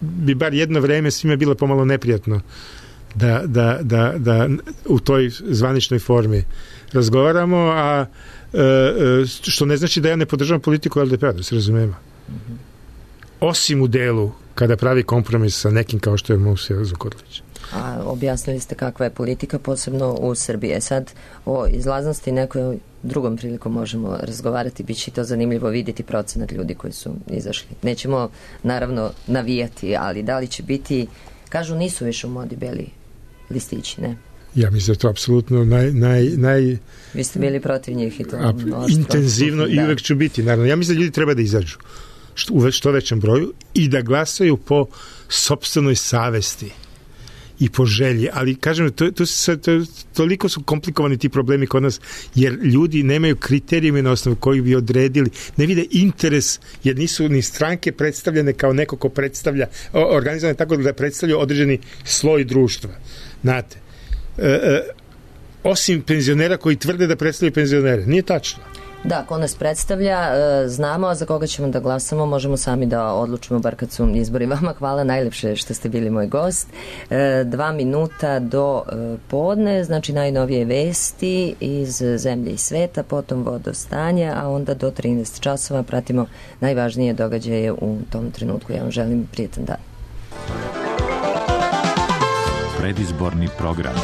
bi bar jedno vreme svima bilo pomalo neprijatno da u toj zvaničnoj formi razgovaramo, a što ne znači da ja ne podržavam politiku LDP-a, da se razumemo. Osim u delu kada pravi kompromis sa nekim kao što je Musija Zukorlić. A objasnili ste kakva je politika, posebno u Srbiji. Sad o izlaznosti nekoj drugom prilikom možemo razgovarati, bit će to zanimljivo vidjeti procenat ljudi koji su izašli. Nećemo naravno navijati, ali da li će biti, kažu nisu više u modi beli listići, ne? Ja mislim da je to apsolutno Vi ste bili protiv njih i to intenzivno i uvek ću biti, naravno. Ja mislim da ljudi treba da izađu u što većem broju i da glasaju po sopstvenoj savesti i po želji, ali kažem, toliko su komplikovani ti problemi kod nas, jer ljudi nemaju kriterijume na osnovu kojih bi odredili, ne vide interes, jer nisu ni stranke predstavljene kao neko ko predstavlja, organizovane tako da predstavljaju određeni sloj društva. Znate, osim penzionera koji tvrde da predstavljaju penzionere. Nije tačno. Da, ko nas predstavlja, znamo, a za koga ćemo da glasamo, možemo sami da odlučimo, bar kad su izbori. Vama hvala najlepše što ste bili moj gost. 2 minuta do podne, znači najnovije vesti iz zemlje i sveta, potom vodostanje, a onda do 13 časova pratimo najvažnije događaje u tom trenutku. Ja vam želim prijetan dan. Predizborni program.